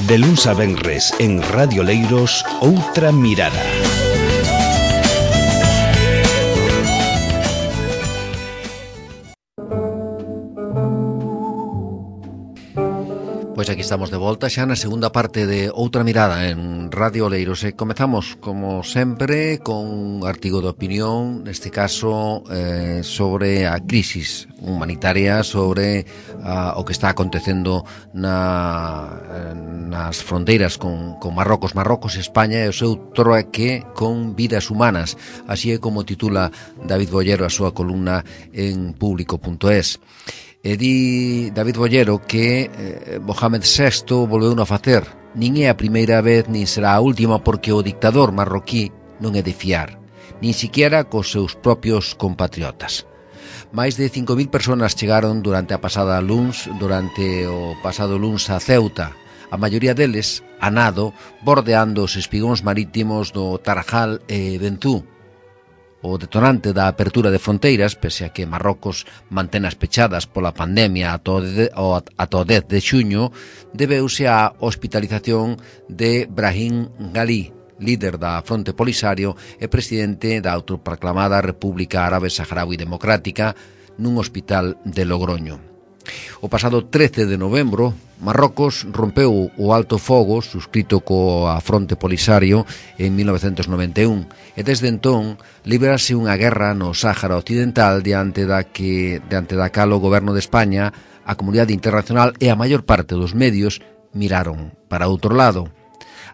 De luns a venres en Radio Leiros, Outra Mirada. Pois aquí estamos de volta xa na segunda parte de Outra Mirada en Radio Leiros e comezamos, como sempre, con un artigo de opinión, neste caso sobre a crisis humanitaria, sobre o que está acontecendo nas fronteiras con Marrocos e España e o seu trueque con vidas humanas. Así é como titula David Bollero a súa columna en público.es. E di David Bollero que Mohamed VI volveu a facer. Nin é a primeira vez, nin será a última, porque o dictador marroquí non é de fiar, nin siquiera cos seus propios compatriotas. Máis de 5.000 personas chegaron durante o pasado luns a Ceuta, a maioría deles a nado, bordeando os espigóns marítimos do Tarajal e Bentú. O detonante da apertura de fronteiras, pese a que Marrocos mantenas pechadas pola pandemia ata o 10 de xuño, debeuse á hospitalización de Brahim Ghali, líder da Fronte Polisario e presidente da autoproclamada República Árabe Saharaui Democrática, nun hospital de Logroño. O pasado 13 de novembro, Marrocos rompeu o alto fogo suscrito coa Fronte Polisario en 1991 e desde entón librase unha guerra no Sáhara Occidental diante da cal o goberno de España, a comunidade internacional e a maior parte dos medios miraron para outro lado.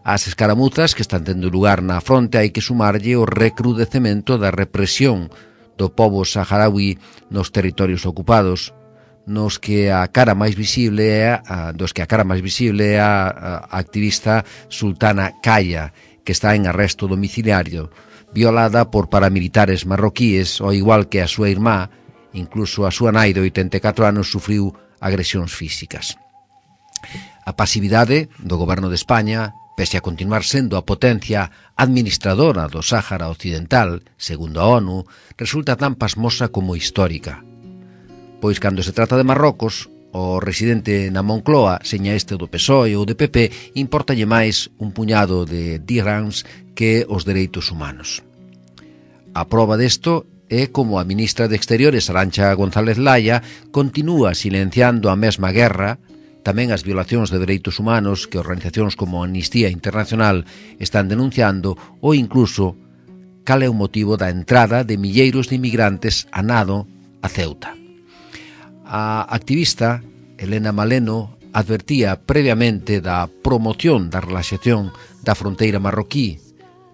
As escaramuzas que están tendo lugar na fronte hai que sumarlle o recrudecemento da represión do pobo saharaui nos territorios ocupados, dos que a cara máis visible é a activista Sultana Kaya, que está en arresto domiciliario, violada por paramilitares marroquíes, ao igual que a súa irmá. Incluso a súa nai de 84 anos sufriu agresións físicas. A pasividade do goberno de España, pese a continuar sendo a potencia administradora do Sáhara Occidental, segundo a ONU, resulta tan pasmosa como histórica. Pois cando se trata de Marrocos, o residente na Moncloa, seña este do PSOE ou de PP, importalle máis un puñado de dirhams que os dereitos humanos. A proba desto é como a ministra de Exteriores, Arantxa González Laya, continúa silenciando a mesma guerra, tamén as violacións de dereitos humanos que organizacións como Amnistía Internacional están denunciando, ou incluso cal é o motivo da entrada de milleiros de inmigrantes a nado a Ceuta. A activista Elena Maleno advertía previamente da promoción da relaxación da fronteira marroquí,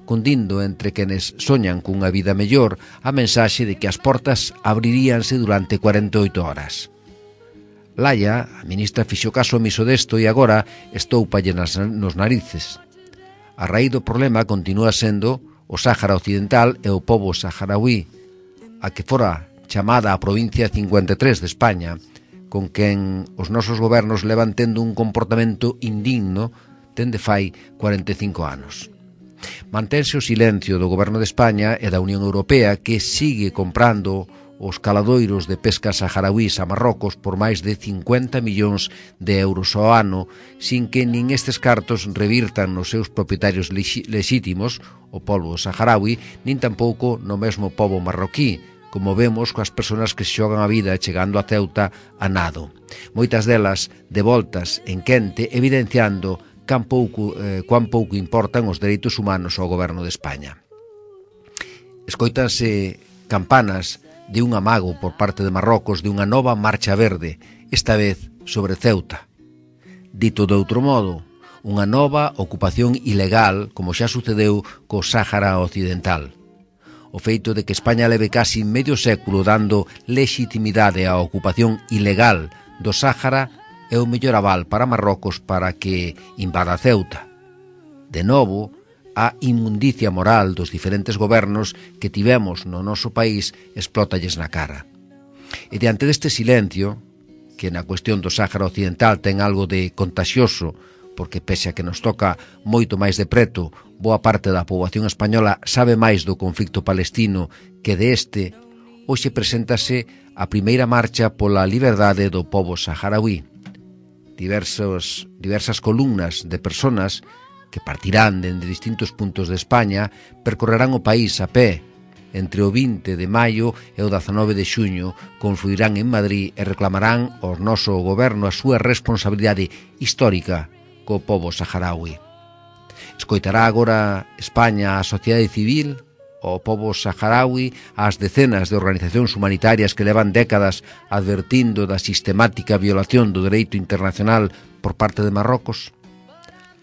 cundindo entre quenes soñan cunha vida mellor a mensaxe de que as portas abriríanse durante 48 horas. Laya, a ministra, fixo caso omiso desto e agora estoupalle nos narices. A raíz do problema continúa sendo o Sáhara Occidental e o pobo saharaui, a que fora chamada a provincia 53 de España, con quen os nosos gobernos levan tendo un comportamento indigno dende fai 45 anos. Mantense o silencio do goberno de España e da Unión Europea, que sigue comprando os caladoiros de pesca saharauís a Marrocos por máis de 50 millóns de euros ao ano, sin que nin estes cartos revirtan nos seus propietarios lexítimos, o pobo saharaui, nin tampouco no mesmo pobo marroquí, como vemos coas persoas que se xogan a vida chegando a Ceuta a nado. Moitas delas devoltas en quente, evidenciando cuán pouco importan os dereitos humanos ao goberno de España. Escoítanse campanas de un amago por parte de Marrocos de unha nova marcha verde, esta vez sobre Ceuta. Dito de outro modo, unha nova ocupación ilegal, como xa sucedeu co Sáhara Occidental. O feito de que España leve casi medio século dando legitimidade á ocupación ilegal do Sáhara é o mellor aval para Marrocos para que invada Ceuta. De novo, a inmundicia moral dos diferentes gobernos que tivemos no noso país explótalles na cara. E diante deste silencio, que na cuestión do Sáhara Occidental ten algo de contagioso, porque pese a que nos toca moito máis de preto, boa parte da poboación española sabe máis do conflicto palestino que de este, hoxe preséntase a primeira marcha pola liberdade do pobo saharaui. diversas columnas de personas que partirán dende distintos puntos de España, percorrerán o país a pé entre o 20 de maio e o 19 de xuño, confluirán en Madrid e reclamarán ao noso goberno a súa responsabilidade histórica co pobo saharaui. Escoitará agora España a sociedade civil, o pobo saharaui, ás decenas de organizacións humanitarias que levan décadas advertindo da sistemática violación do dereito internacional por parte de Marrocos?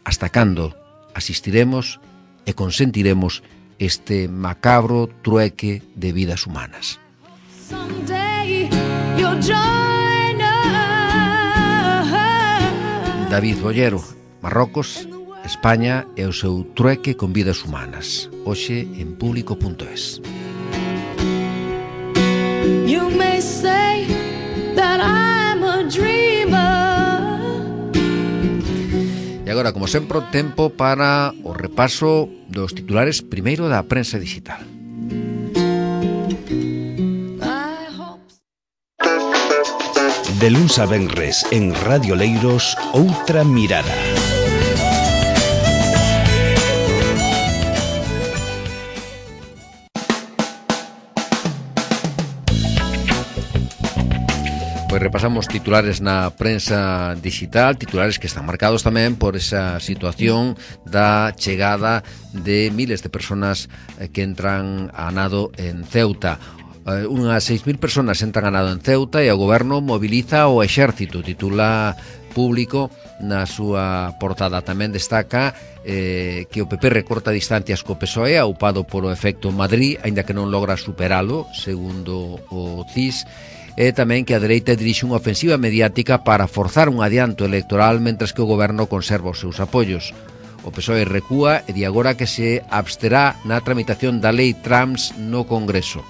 Hasta cando asistiremos e consentiremos este macabro trueque de vidas humanas? David Bollero, Marrocos, España e o seu trueque con vidas humanas. Hoxe en Público.es. You may say that I'm a dreamer. E agora, como sempre, tempo para o repaso dos titulares primeiro da prensa digital. De luns a venres en Radio Leiros, Outra Mirada. Pois repasamos titulares na prensa digital, titulares que están marcados tamén por esa situación da chegada de miles de personas que entran a nado en Ceuta. Unhas 6.000 personas entran a nado en Ceuta e o goberno moviliza o exército, titula Público na súa portada. Tamén destaca que o PP recorta distancias co PSOE, aupado polo efecto Madrid, aínda que non logra superalo, segundo o CIS. E tamén que a dereita dirixe unha ofensiva mediática para forzar un adianto electoral mentres que o goberno conserva os seus apoios. O PSOE recúa e di agora que se absterá na tramitación da lei trans no Congreso.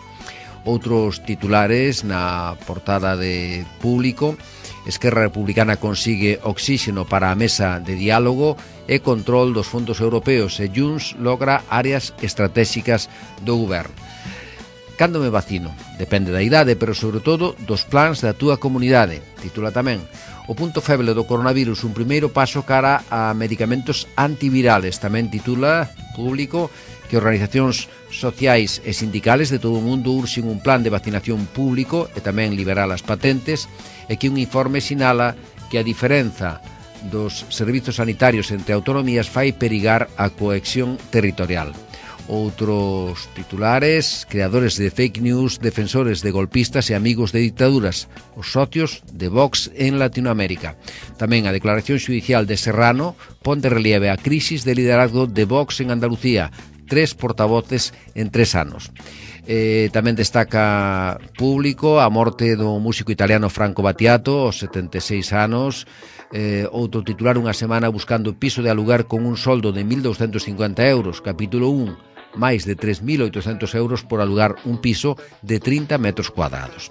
Outros titulares na portada de Público: Esquerra Republicana consigue oxígeno para a mesa de diálogo e control dos fondos europeos e Junts logra áreas estratégicas do goberno. Cando me vacino? Depende da idade, pero sobre todo dos plans da túa comunidade, titula tamén. O punto feble do coronavirus, un primeiro paso cara a medicamentos antivirales, tamén titula Público que organizacións sociais e sindicales de todo o mundo urxen un plan de vacinación público e tamén liberar as patentes, e que un informe sinala que a diferenza dos servizos sanitarios entre autonomías fai perigar a cohesión territorial. Outros titulares: creadores de fake news, defensores de golpistas e amigos de dictaduras, os socios de Vox en Latinoamérica. Tamén a declaración xudicial de Serrano pon de relieve a crisis de liderazgo de Vox en Andalucía, 3 portavoces en 3 anos. Tamén destaca Público a morte do músico italiano Franco Battiato aos 76 anos. Outro titular: unha semana buscando piso de alugar con un soldo de 1.250 euros, capítulo 1, máis de 3.800 euros por alugar un piso de 30 metros cuadrados.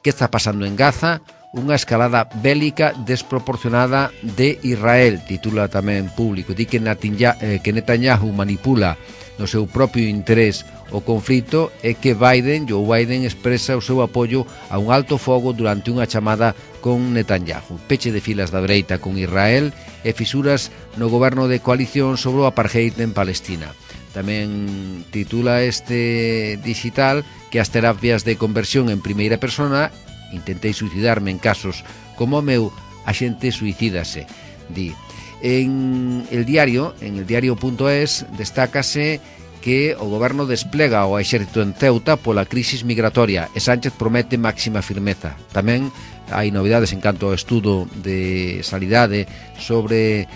Que está pasando en Gaza? Unha escalada bélica desproporcionada de Israel, titula tamén Público. Di que Netanyahu manipula no seu propio interés o conflito e que Joe Biden expresa o seu apoio a un alto fogo durante unha chamada con Netanyahu. Peche de filas da dereita con Israel e fisuras no goberno de coalición sobre o apartheid en Palestina. Tamén titula este digital que as terapias de conversión en primeira persona: intentei suicidarme en casos como o meu, a xente suicídase, di. En el diario.es destácase que o goberno desplega o exército en Ceuta pola crisis migratoria e Sánchez promete máxima firmeza. Tamén hai novidades en canto ao estudo de sanidade sobre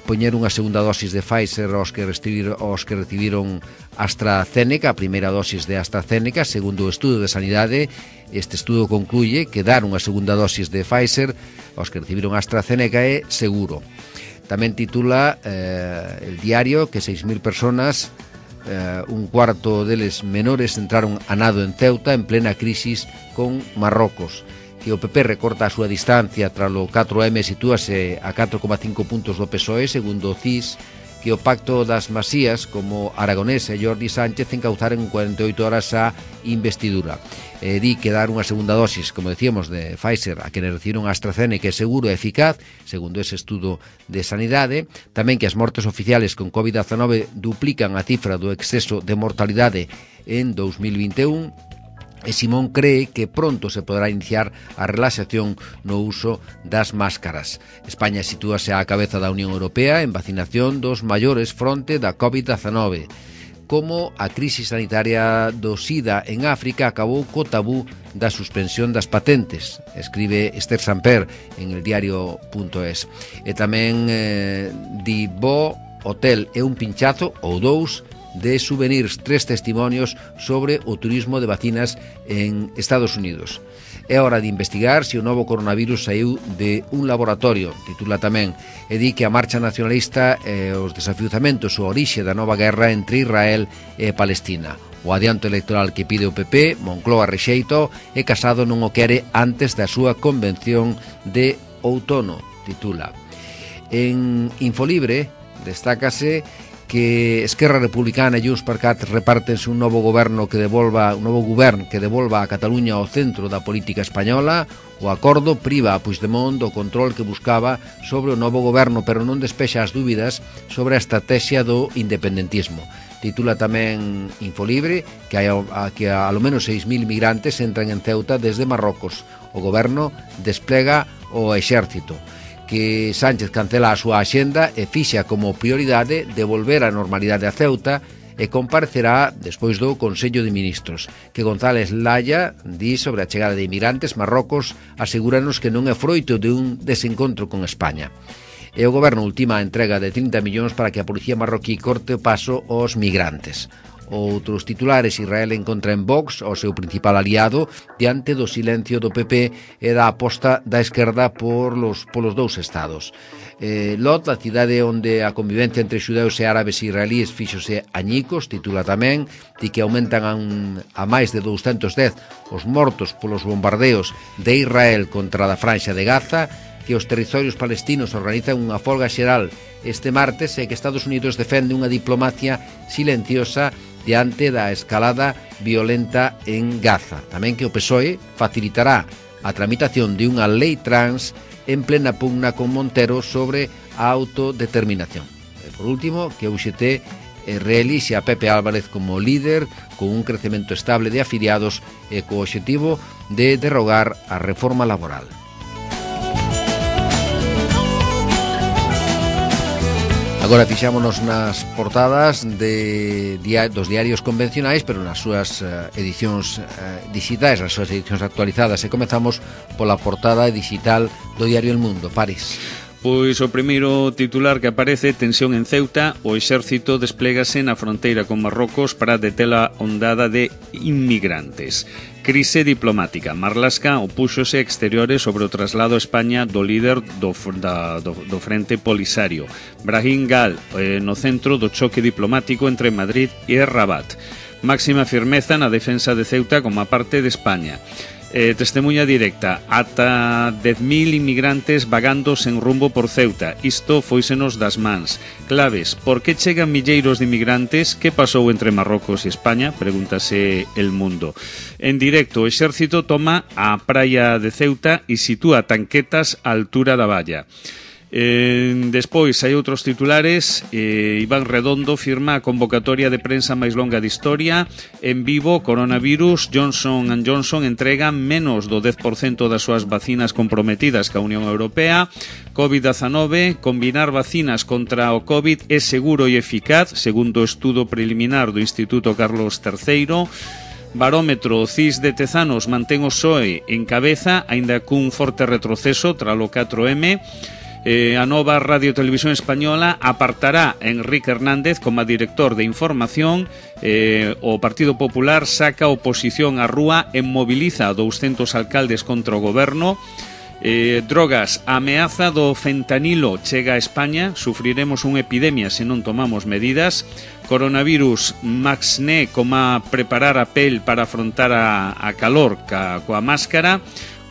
poñer unha segunda dosis de Pfizer aos que recibiron AstraZeneca, a primeira dosis de AstraZeneca. Segundo o estudo de sanidade, este estudo concluye que dar unha segunda dosis de Pfizer aos que recibiron AstraZeneca é seguro. Tamén titula el diario que 6.000 personas, un cuarto deles menores, entraron a nado en Ceuta en plena crisis con Marrocos. Que o PP recorta a súa distancia tras o 4M, sitúase a 4,5 puntos do PSOE, segundo o CIS, que o Pacto das Masías, como Aragonés e Jordi Sánchez, encauzaren en 48 horas a investidura. Di que dar unha segunda dosis, como decíamos, de Pfizer a quenes recibiron a AstraZeneca é seguro e eficaz, segundo ese estudo de sanidade. Tamén que as mortes oficiales con COVID-19 duplican a cifra do exceso de mortalidade en 2021. E Simón cree que pronto se poderá iniciar a relaxación no uso das máscaras. España sitúase á cabeza da Unión Europea en vacinación dos maiores fronte da COVID-19. Como a crise sanitaria do SIDA en África acabou co tabú da suspensión das patentes, escribe Esther Samper en el diario.es. E tamén di bo hotel e un pinchazo ou dous de souvenirs, 3 testimonios sobre o turismo de vacinas en Estados Unidos. É hora de investigar se o novo coronavirus saiu de un laboratorio, titula tamén, e di que a marcha nacionalista e os desafiuzamentos o orixe da nova guerra entre Israel e Palestina. O adianto electoral que pide o PP, Moncloa rexeito, e Casado non o quere antes da súa convención de outono, titula. En Infolibre destácase que Esquerra Republicana e Junts per Cat repártense un novo govern que devolva a Cataluña ao centro da política española. O acordo priva a Puigdemont do control que buscaba sobre o novo goberno, pero non despexa as dúbidas sobre a estrategia do independentismo. Titula tamén Infolibre que ao menos 6.000 migrantes entran en Ceuta desde Marrocos. O goberno desplega o exército, que Sánchez cancela a súa axenda e fixa como prioridade devolver a normalidade a Ceuta e comparecerá despois do Consello de Ministros, que González Laya di sobre a chegada de inmigrantes. Marrocos asegúranos que non é froito de un desencontro con España. E o goberno ultima a entrega de 30 millóns para que a policía marroquí corte o paso aos migrantes. Outros titulares: Israel encontra en Vox o seu principal aliado diante do silencio do PP e da aposta da esquerda polos dous estados. Lot, a cidade onde a convivencia entre xudeus e árabes e israelíes fíxose añicos, titula tamén, di que aumentan a máis de 210 os mortos polos bombardeos de Israel contra a franxa de Gaza, que os territorios palestinos organizan unha folga xeral este martes e que Estados Unidos defende unha diplomacia silenciosa diante da escalada violenta en Gaza. Tamén que o PSOE facilitará a tramitación de unha lei trans en plena pugna con Montero sobre a autodeterminación. E por último, que o UGT reelixe a Pepe Álvarez como líder con un crecemento estable de afiliados e co obxectivo de derrogar a reforma laboral. Agora fixámonos nas portadas dos diarios convencionais, pero nas súas edicións digitais, nas súas edicións actualizadas, e comezamos pola portada digital do diario El Mundo. París. Pois o primeiro titular que aparece: tensión en Ceuta, o exército desplégase na fronteira con Marrocos para deter a ondada de inmigrantes. Crise diplomática. Marlaska opúxose a exteriores sobre o traslado a España do líder do Frente Polisario. Brahim Gal no centro do choque diplomático entre Madrid e Rabat. Máxima firmeza na defensa de Ceuta como a parte de España. Testemunha directa: ata 10.000 inmigrantes vagando sen rumbo por Ceuta. Isto fóisenos das mans. Claves: por que chegan milleiros de inmigrantes? Que pasou entre Marrocos e España? Pregúntase El Mundo. En directo, o exército toma a praia de Ceuta e sitúa tanquetas á altura da valla. Despois hai outros titulares. Iván Redondo firma a convocatoria de prensa máis longa de historia. En Vivo, coronavirus, Johnson & Johnson entrega menos do 10% das súas vacinas comprometidas ca Unión Europea. COVID-19, combinar vacinas contra o COVID é seguro e eficaz, segundo o estudo preliminar do Instituto Carlos III. Barómetro: CIS de Tezanos mantén o PSOE en cabeza, aínda cun forte retroceso tralo 4M. A nova Radio Televisión Española apartará a Enrique Hernández como director de información. O Partido Popular saca a oposición á rúa e moviliza a 200 alcaldes contra o goberno. Drogas: a ameaza do fentanilo chega a España, sufriremos unha epidemia se non tomamos medidas. Coronavirus: Maxné como a preparar a pel para afrontar a calor coa máscara.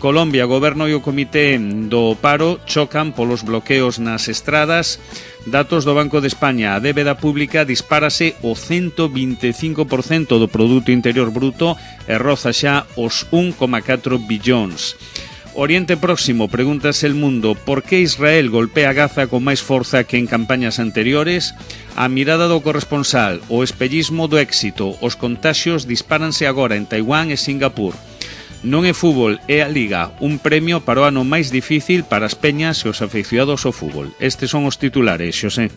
Colombia, goberno e o comité do paro chocan polos bloqueos nas estradas. Datos do Banco de España, a débeda pública dispárase o 125% do Produto Interior Bruto e roza xa os 1,4 billóns. Oriente Próximo, pregúntase El Mundo, por que Israel golpea Gaza con máis forza que en campañas anteriores? A mirada do corresponsal, o espellismo do éxito, os contaxios dispáranse agora en Taiwán e Singapur. Non é fútbol, é a Liga, un premio para o ano máis difícil para as peñas e os afeicionados ao fútbol. Estes son os titulares, Xosé.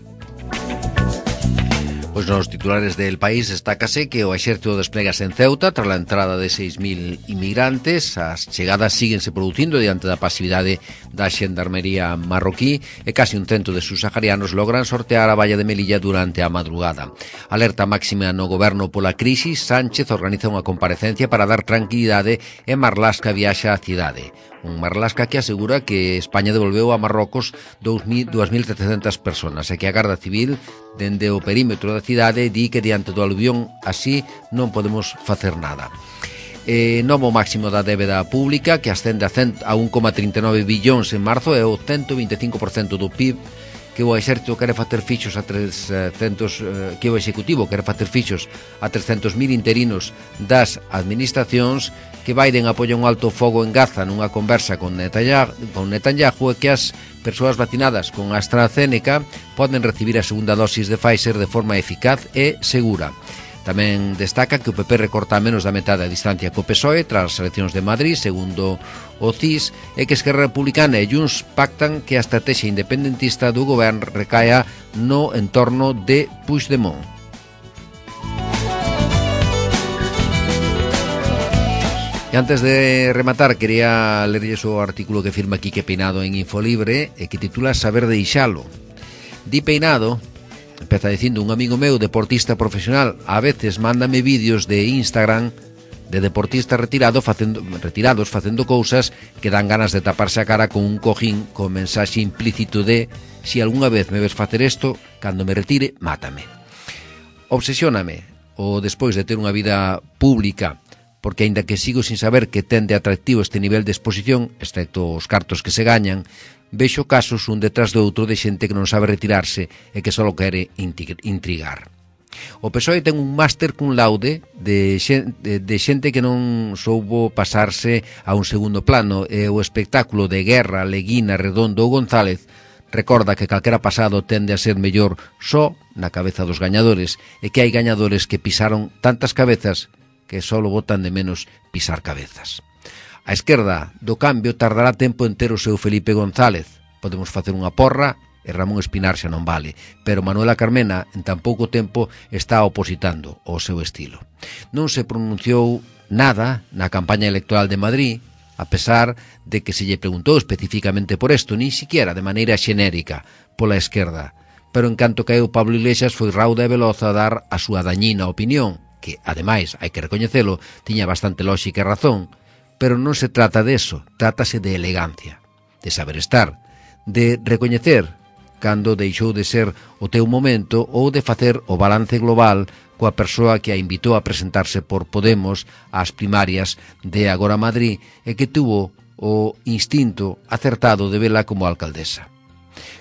Pois nos titulares del país destácase que o exército desplegase en Ceuta tras a entrada de 6.000 inmigrantes. As chegadas síguense producindo diante da pasividade da xendarmería marroquí e casi un cento de subsaharianos logran sortear a valla de Melilla durante a madrugada. Alerta máxima no goberno pola crisis, Sánchez organiza unha comparecencia para dar tranquilidade e Marlaska viaxa á cidade. Un Marlaska que asegura que España devolveu a Marrocos 2.700 personas e que a Garda Civil dende o perímetro da cidade di que diante do aluvión así non podemos facer nada. Novo máximo da débeda pública que ascende a 1,39 billóns en marzo e o 125% do PIB que o exército quere facer fixos a 300 que o executivo quere facer fixos a 300.000 interinos das administracións. Que Biden apoia un alto fogo en Gaza nunha conversa con Netanyahu e que as persoas vacinadas con AstraZeneca poden recibir a segunda dosis de Pfizer de forma eficaz e segura. Tamén destaca que o PP recorta a menos da metade a distancia co PSOE tras as eleccións de Madrid, segundo o CIS, e que Esquerra Republicana e Junts pactan que a estrategia independentista do goberno recaia no entorno de Puigdemont. E antes de rematar, quería lerlles o artículo que firma Quique Peinado en Infolibre e que titula Saber deixalo. Di Peinado, empeza dicindo, un amigo meu deportista profesional a veces mándame vídeos de Instagram de deportistas retirados facendo cousas que dan ganas de taparse a cara con un cojín con mensaxe implícito de si algunha vez me ves facer isto, cando me retire, mátame. Obsesióname o despois de ter unha vida pública, porque aínda que sigo sin saber que ten de atractivo este nivel de exposición, excepto os cartos que se gañan, vexo casos un detrás do outro de xente que non sabe retirarse e que só quere intrigar. O PSOE ten un máster cum laude de xente que non soubo pasarse a un segundo plano e o espectáculo de Guerra, Leguina, Redondo ou González recorda que calquera pasado tende a ser mellor só na cabeza dos gañadores e que hai gañadores que pisaron tantas cabezas que só botan de menos pisar cabezas. A esquerda do cambio tardará tempo en ter o seu Felipe González. Podemos facer unha porra e Ramón Espinar xa non vale, pero Manuela Carmena en tan pouco tempo está opositando o seu estilo. Non se pronunciou nada na campaña electoral de Madrid, a pesar de que se lle preguntou especificamente por isto, ni siquiera de maneira xenérica pola esquerda. Pero en canto caeu Pablo Iglesias foi rauda e veloz a dar a súa dañina opinión, que, ademais, hai que recoñecelo, tiña bastante lógica e razón, pero non se trata de eso, trátase de elegancia, de saber estar, de recoñecer cando deixou de ser o teu momento ou de facer o balance global coa persoa que a invitou a presentarse por Podemos ás primarias de Agora Madrid e que tuvo o instinto acertado de vela como alcaldesa.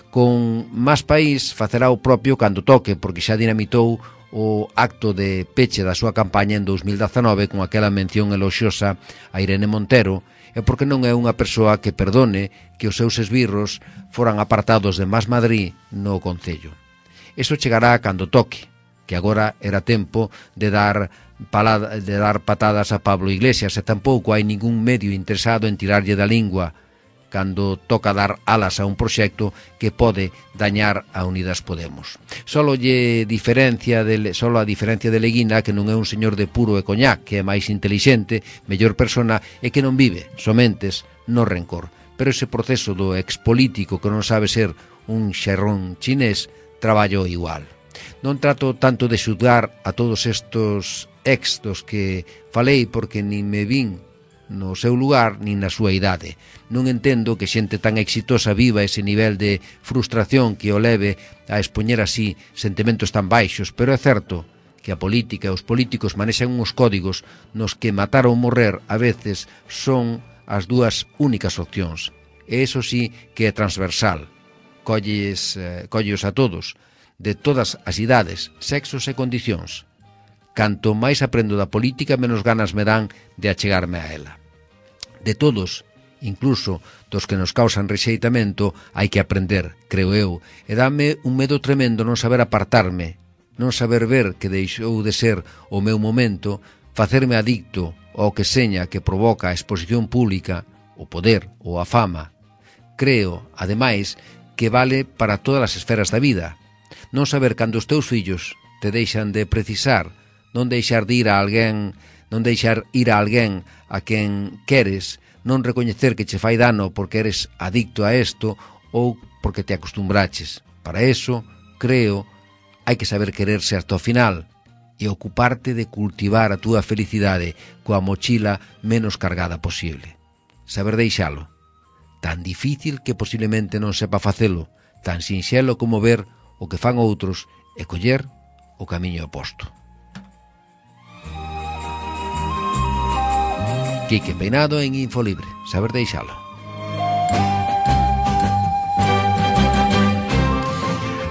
Con Más País facerá o propio cando toque, porque xa dinamitou o acto de peche da súa campaña en 2019 con aquela mención eloxiosa a Irene Montero e porque non é unha persoa que perdone que os seus esbirros foran apartados de Más Madrid no Concello. Eso chegará cando toque, que agora era tempo de dar patadas a Pablo Iglesias e tampouco hai ningún medio interesado en tirarlle da lingua cando toca dar alas a un proxecto que pode dañar a Unidas Podemos. Solo a diferencia de Leguina, que non é un señor de puro e coñac, que é máis intelixente, mellor persona e que non vive somentes no rencor. Pero ese proceso do expolítico que non sabe ser un xerrón chinés, traballo igual. Non trato tanto de xudgar a todos estos ex dos que falei porque nin me vin no seu lugar nin na súa idade. Non entendo que xente tan exitosa viva ese nivel de frustración que o leve a expoñer así sentimentos tan baixos, pero é certo que a política e os políticos manexan uns códigos nos que matar ou morrer a veces son as dúas únicas opcións. E iso sí que é transversal. Colles a todos, de todas as idades, sexos e condicións. Canto máis aprendo da política, menos ganas me dan de achegarme a ela. De todos, incluso dos que nos causan rexeitamento, hai que aprender, creo eu, e dame un medo tremendo non saber apartarme, non saber ver que deixou de ser o meu momento, facerme adicto ao que seña que provoca a exposición pública, o poder ou a fama. Creo, ademais, que vale para todas as esferas da vida. Non saber cando os teus fillos te deixan de precisar, non deixar ir a alguén a quen queres, non recoñecer que che fai dano porque eres adicto a isto ou porque te acostumbraches. Para eso, creo, hai que saber quererse hasta o final e ocuparte de cultivar a túa felicidade coa mochila menos cargada posible. Saber deixalo. Tan difícil que posiblemente non sepa facelo, tan sinxelo como ver o que fan outros e coller o camiño oposto. Quique Peinado en Infolibre. Saber deixalo.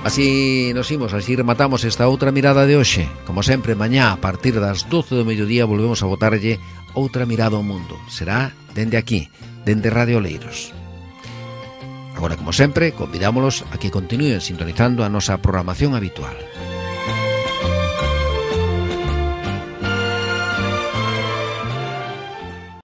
Así nos imos, así rematamos esta outra mirada de hoxe. Como sempre, mañá a partir das 12 do mediodía volvemos a botarlle outra mirada ao mundo. Será dende aquí, dende Radio Oleiros. Agora, como sempre, convidámolos a que continúen sintonizando a nosa programación habitual.